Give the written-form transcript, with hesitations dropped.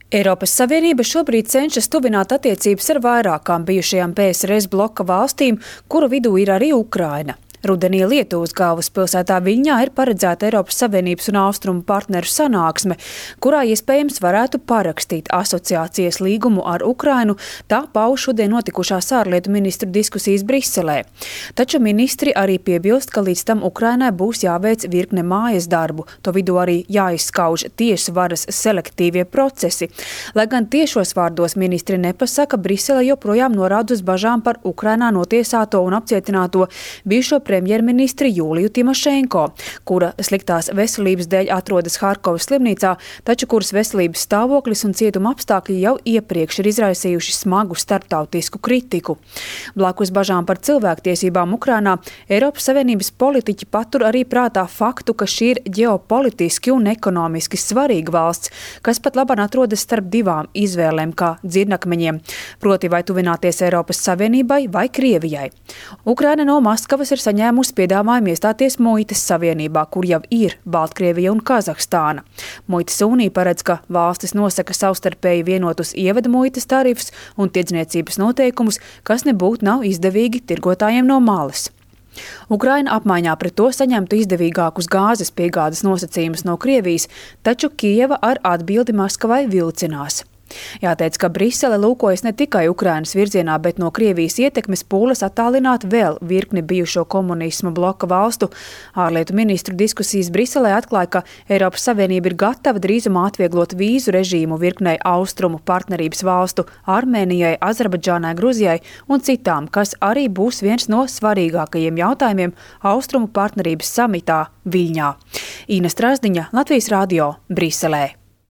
Eiropas Savienība šobrīd cenšas tuvināt attiecības ar vairākām bijušajām PSRS bloka valstīm, kuru vidū ir arī Ukraina. Rudenī Lietuvas galvaspilsētā Viļņā ir paredzēta Eiropas Savienības un Austrumu partneru sanāksme, kurā iespējams varētu parakstīt asociācijas līgumu ar Ukrainu, tā pauž šodien notikušās ārlietu ministru diskusijas Briselē. Taču ministri arī piebilst, ka līdz tam Ukrainai būs jāveic virkne mājas darbu, to vidū arī jāizskauž tiesu varas selektīvie procesi. Lai gan tiešos vārdos ministri nepasaka, Brisele joprojām norāda uz bažām par Ukrainā notiesāto un apcietināto bijušo premjerministri Jūliju Timošenko, kura sliktās veselības dēļ atrodas Harkovas slimnīcā, taču kuras veselības stāvoklis un cietuma apstākļi jau iepriekš ir izraisījuši smagu starptautisku kritiku. Blakus bažām par cilvēktiesībām Ukrainā, Eiropas Savienības politiķi patur arī prātā faktu, ka šī ir ģeopolitiski un ekonomiski svarīga valsts, kas pat labāk atrodas starp divām izvēlēm kā dzirnakmeņiem, proti vai tuvināties Eiropas Savienībai vai Krievijai. Ukraina no Maskavas ir saņēmusi piedāvājumu iestāties Muitas savienībā, kur jau ir Baltkrievija un Kazahstāna. Muitas unija paredz, ka valstis nosaka savstarpēji vienotus ievada muitas tarifus un tirdzniecības noteikumus, kas nebūtu nav izdevīgi tirgotājiem no malas. Ukraina apmaiņā pret to saņemtu izdevīgākus gāzes piegādes nosacījumus no Krievijas, taču Kijeva ar atbildi Maskavai vilcinās. Jāteic, ka Brisele lūkojas ne tikai Ukrainas virzienā, bet no Krievijas ietekmes pūles attālināt vēl virkni bijušo komunismu bloka valstu. Ārlietu ministru diskusijas Briselē atklāja, ka Eiropas Savienība ir gatava drīzumā atvieglot vīzu režīmu virknei austrumu partnerības valstu Armēnijai, Azerbaidžānai, Gruzijai un citām, kas arī būs viens no svarīgākajiem jautājumiem austrumu partnerības samitā Viļņā. Ina Strasdiņa, Latvijas radio, Briselē.